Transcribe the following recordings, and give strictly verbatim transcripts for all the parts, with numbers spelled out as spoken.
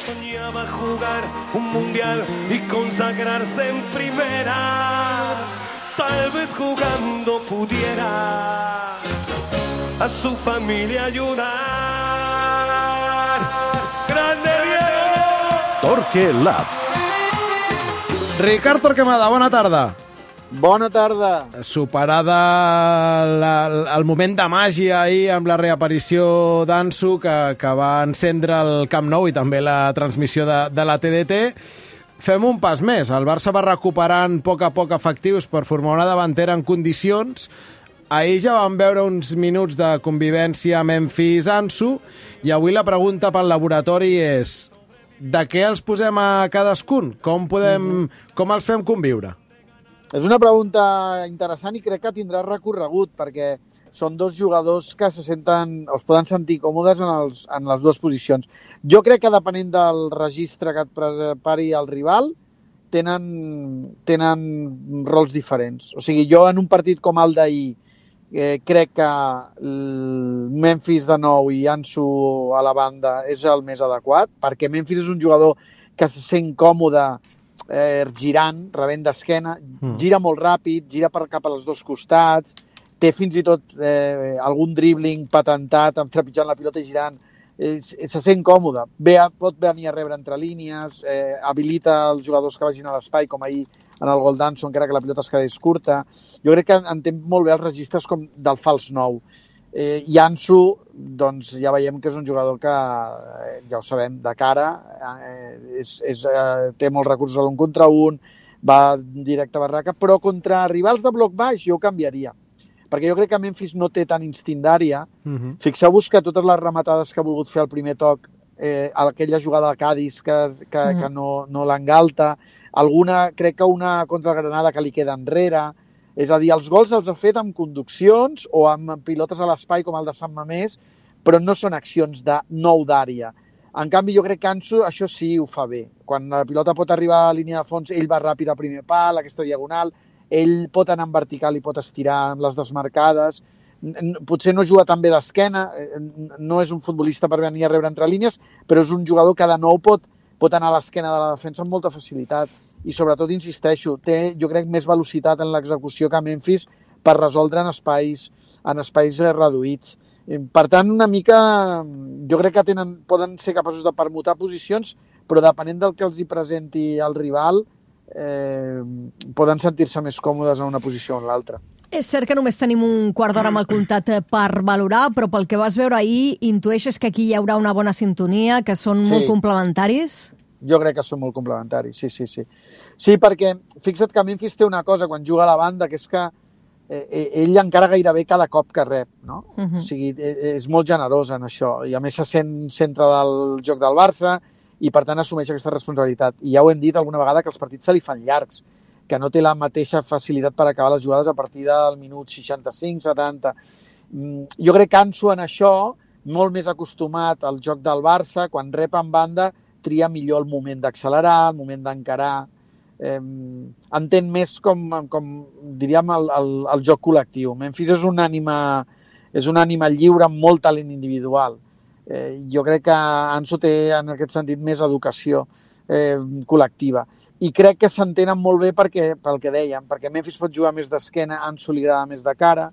Soñaba jugar un mundial y consagrarse en primera. Tal vez jugando pudiera a su familia ayudar. ¡Grande Diego! Torque Lab. Ricard Torquemada, bona tarda. Bona tarda. Superada la, el moment de màgia ahir amb la reaparició d'Ansu que, que va encendre el Camp Nou i també la transmissió de, de la T D T, fem un pas més. El Barça va recuperant a poc a poc efectius per formar una davantera en condicions. Ahir ja vam veure uns minuts de convivència Memphis-Ansu i avui la pregunta pel laboratori és de què els posem a cadascun? Com, podem, mm-hmm. com els fem conviure? És una pregunta interessant i crec que tindrà recorregut perquè són dos jugadors que se senten, o es poden sentir còmodes en, els, en les dues posicions. Jo crec que depenent del registre que et prepari el rival, tenen, tenen rols diferents. O sigui, jo en un partit com el d'ahir eh, crec que el Memphis de nou i Ansu a la banda és el més adequat, perquè Memphis és un jugador que se sent còmode eh, girant, rebent d'esquena, mm. gira molt ràpid, gira per cap als dos costats, té fins i tot eh, algun dribbling patentat, trepitjant la pilota i girant, eh, se sent còmode, Ve a, pot venir a rebre entre línies, eh, habilita els jugadors que vagin a l'espai, com ahir en el gol d'Ansu, encara que la pilota es quedés curta. Jo crec que entén molt bé els registres com del fals nou. Eh, I Ansu, doncs ja veiem que és un jugador que, eh, ja ho sabem, de cara, eh, és, és, eh, té molts recursos a l'un contra un, va directe a barraca, però contra rivals de bloc baix jo ho canviaria. Perquè jo crec que Memphis no té tant instint d'àrea. Uh-huh. Fixeu-vos que totes les rematades que ha volgut fer al primer toc, eh, aquella jugada de Cádiz que, que, uh-huh. que no, no l'engalta, alguna, crec que una contra el Granada que li queda enrere. És a dir, els gols els ha fet amb conduccions o amb pilotes a l'espai com el de Sant Mamés, però no són accions de nou d'àrea. En canvi, jo crec que Ansu això sí ho fa bé. Quan la pilota pot arribar a la línia de fons, ell va ràpid a primer pal, aquesta diagonal, ell pot anar en vertical i pot estirar amb les desmarcades. Potser no juga tan bé d'esquena, no és un futbolista per venir a rebre entre línies, però és un jugador que de nou pot, pot anar a l'esquena de la defensa amb molta facilitat. I sobretot, insisteixo, té, jo crec, més velocitat en l'execució que Memphis per resoldre en espais, en espais reduïts. Per tant, una mica, jo crec que tenen, poden ser capaços de permutar posicions, però depenent del que els hi presenti el rival, eh, poden sentir-se més còmodes en una posició o en l'altra. És cert que només tenim un quart d'hora amb el comptat per valorar, però pel que vas veure ahir, intueixes que aquí hi haurà una bona sintonia, que són sí. molt complementaris? Jo crec que són molt complementaris, sí, sí, sí. Sí, perquè fixa't que Memphis té una cosa quan juga a la banda, que és que eh, ell encara gairebé cada cop que rep, no? Uh-huh. O sigui, és molt generós en això, i a més se sent centre del joc del Barça i per tant assumeix aquesta responsabilitat. I ja ho hem dit alguna vegada que els partits se li fan llargs, que no té la mateixa facilitat per acabar les jugades a partir del minut seixanta-cinc setanta. Jo crec que Ansu en això, molt més acostumat al joc del Barça, quan rep en banda, tria millor el moment d'accelerar, el moment d'encarar, eh, entén més com, com diríem, el, el, el joc col·lectiu. Memphis és una ànima, és una ànima lliure amb molt talent individual. Eh, jo crec que Ansu té, en aquest sentit, més educació eh, col·lectiva. I crec que s'entenen molt bé perquè, pel que dèiem, perquè Memphis pot jugar més d'esquena, Ansu li agrada més de cara,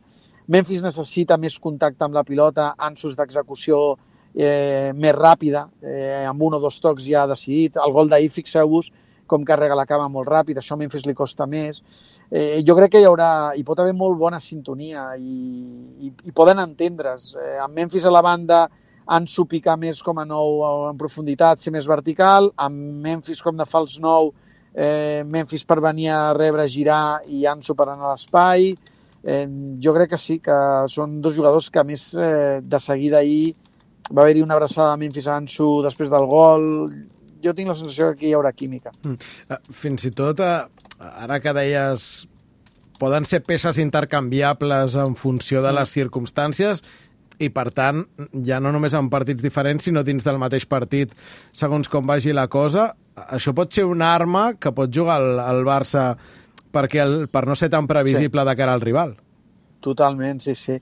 Memphis necessita més contacte amb la pilota, Ansu és d'execució Eh, més ràpida, eh, amb un o dos tocs ja decidit. El gol d'ahir, fixeu-vos com carrega la cama molt ràpid, això a Memphis li costa més. Eh, jo crec que hi haurà, hi pot haver molt bona sintonia i, i, i poden entendre's. Eh, amb Memphis a la banda, Ansu picar més com a nou en profunditat, ser més vertical, amb Memphis com de fals nou, eh, Memphis per venir a rebre, girar i Ansu per anar a l'espai. Eh, jo crec que sí, que són dos jugadors que a més eh, de seguida ahir va haver-hi una abraçada a Memphis Ansu després del gol. Jo tinc la sensació que aquí hi haurà química. Mm. Fins i tot, ara que deies, poden ser peces intercanviables en funció de les circumstàncies i, per tant, ja no només en partits diferents, sinó dins del mateix partit, segons com vagi la cosa. Això pot ser una arma que pot jugar el, el Barça perquè el, per no ser tan previsible sí. de cara al rival. Totalment, sí, sí.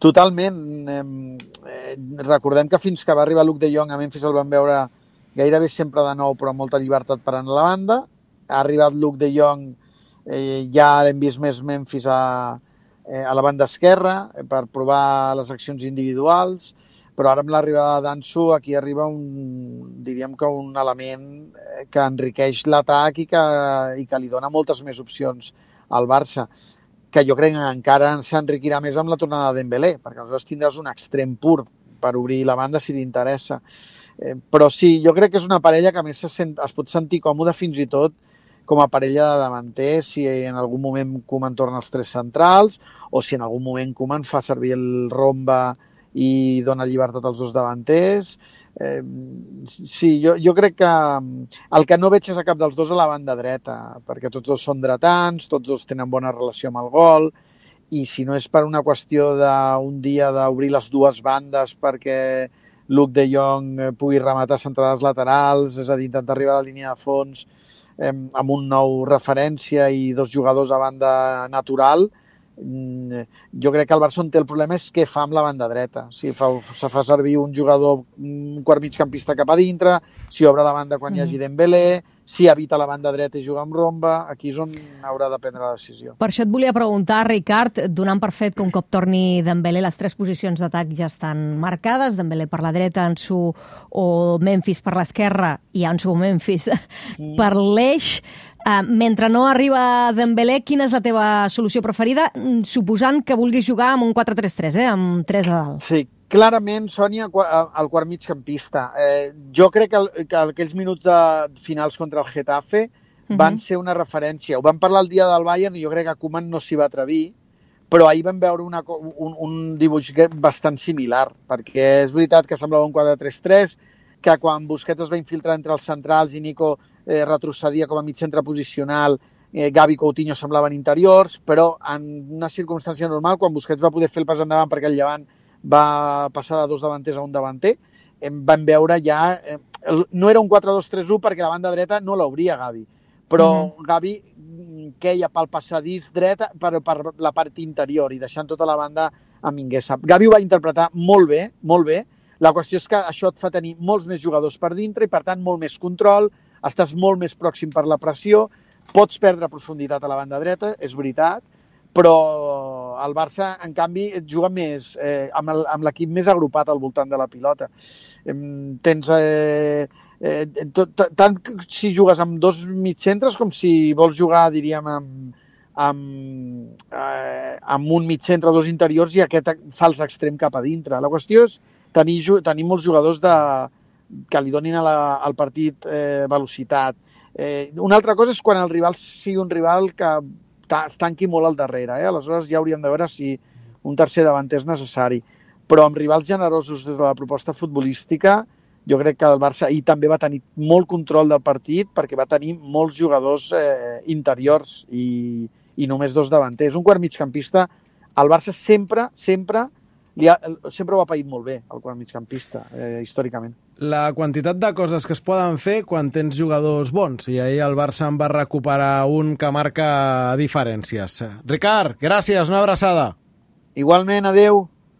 Totalment. Eh, recordem que fins que va arribar Luke de Jong a Memphis el van veure gairebé sempre de nou, però amb molta llibertat per anar a la banda. Ha arribat Luke de Jong, eh, ja hem vist més Memphis a, eh, a la banda esquerra per provar les accions individuals, però ara amb l'arribada d'Ansu aquí arriba un, diríem que un element que enriqueix l'atac i que, i que li dona moltes més opcions al Barça, que jo crec que encara s'enriquirà més amb la tornada de Dembélé, perquè aleshores tindràs un extrem pur per obrir la banda si t'interessa. Eh, però sí, jo crec que és una parella que a més se sent, es pot sentir còmode fins i tot com a parella de davanters, si en algun moment Koeman torna als tres centrals o si en algun moment Koeman fa servir el romba i dona llibertat als dos davanters. Eh, sí, jo, jo crec que el que no veig és a cap dels dos a la banda dreta, perquè tots dos són dretans, tots dos tenen bona relació amb el gol, i si no és per una qüestió d'un dia d'obrir les dues bandes perquè Luke de Jong pugui rematar centrades laterals, és a dir, intentar arribar a la línia de fons eh, amb un nou referència i dos jugadors a banda natural, jo crec que el Barça on té el problema és què fa amb la banda dreta. Si fa, se fa servir un jugador, un quart migcampista cap a dintre, si obre la banda quan mm. hi hagi Dembélé, si evita la banda dreta i juga amb romba, aquí és on haurà de prendre la decisió. Per això et volia preguntar, Ricard, donant per fet que un cop torni Dembélé, les tres posicions d'atac ja estan marcades, Dembélé per la dreta, Ansu o Memphis per l'esquerra i Ansu o Memphis mm. per l'eix. Uh, mentre no arriba Dembélé, quina és la teva solució preferida, suposant que vulguis jugar amb un quatre tres tres, eh? Amb tres a dalt? Sí, clarament, Sònia, el quart migcampista. Eh, jo crec que, el, que aquells minuts de finals contra el Getafe uh-huh. van ser una referència. Ho vam parlar el dia del Bayern i jo crec que Koeman no s'hi va atrevir, però ahir vam veure una, un, un dibuix bastant similar, perquè és veritat que semblava un quatre tres tres, que quan Busquets es va infiltrar entre els centrals i Nico eh, retrocedia com a mig centre posicional, eh, Gavi i Coutinho semblaven interiors, però en una circumstància normal, quan Busquets va poder fer el pas endavant perquè el Llevant va passar de dos davanters a un davanter, eh, vam veure ja... Eh, no era un quatre dos tres u perquè la banda dreta no l'obria Gavi, però mm. Gavi queia pel passadís dret per, per la part interior i deixant tota la banda a Mingueza. Gavi ho va interpretar molt bé, molt bé. La qüestió és que això et fa tenir molts més jugadors per dintre i, per tant, molt més control, estàs molt més pròxim per la pressió, pots perdre profunditat a la banda dreta, és veritat, però el Barça, en canvi, juga més eh, amb l'equip més agrupat al voltant de la pilota. Eh, tens... Eh, eh, tot, tant si jugues amb dos mitcentres com si vols jugar, diríem, amb, amb, eh, amb un mitcentre, dos interiors i aquest fals extrem cap a dintre. La qüestió és tenir, tenir molts jugadors de, que li donin a la, al partit eh, velocitat. Eh, una altra cosa és quan el rival sigui un rival que es tanqui molt al darrere. Eh? Aleshores ja hauríem de veure si un tercer davanter és necessari. Però amb rivals generosos des de la proposta futbolística, jo crec que el Barça ahir també va tenir molt control del partit perquè va tenir molts jugadors eh, interiors i, i només dos davanters. Un quart migcampista, el Barça sempre, sempre Ha, sempre ho ha paït molt bé, el quart migcampista, eh, històricament. La quantitat de coses que es poden fer quan tens jugadors bons, i ahir el Barça en va recuperar un que marca diferències. Ricard, gràcies, una abraçada. Igualment, adeu.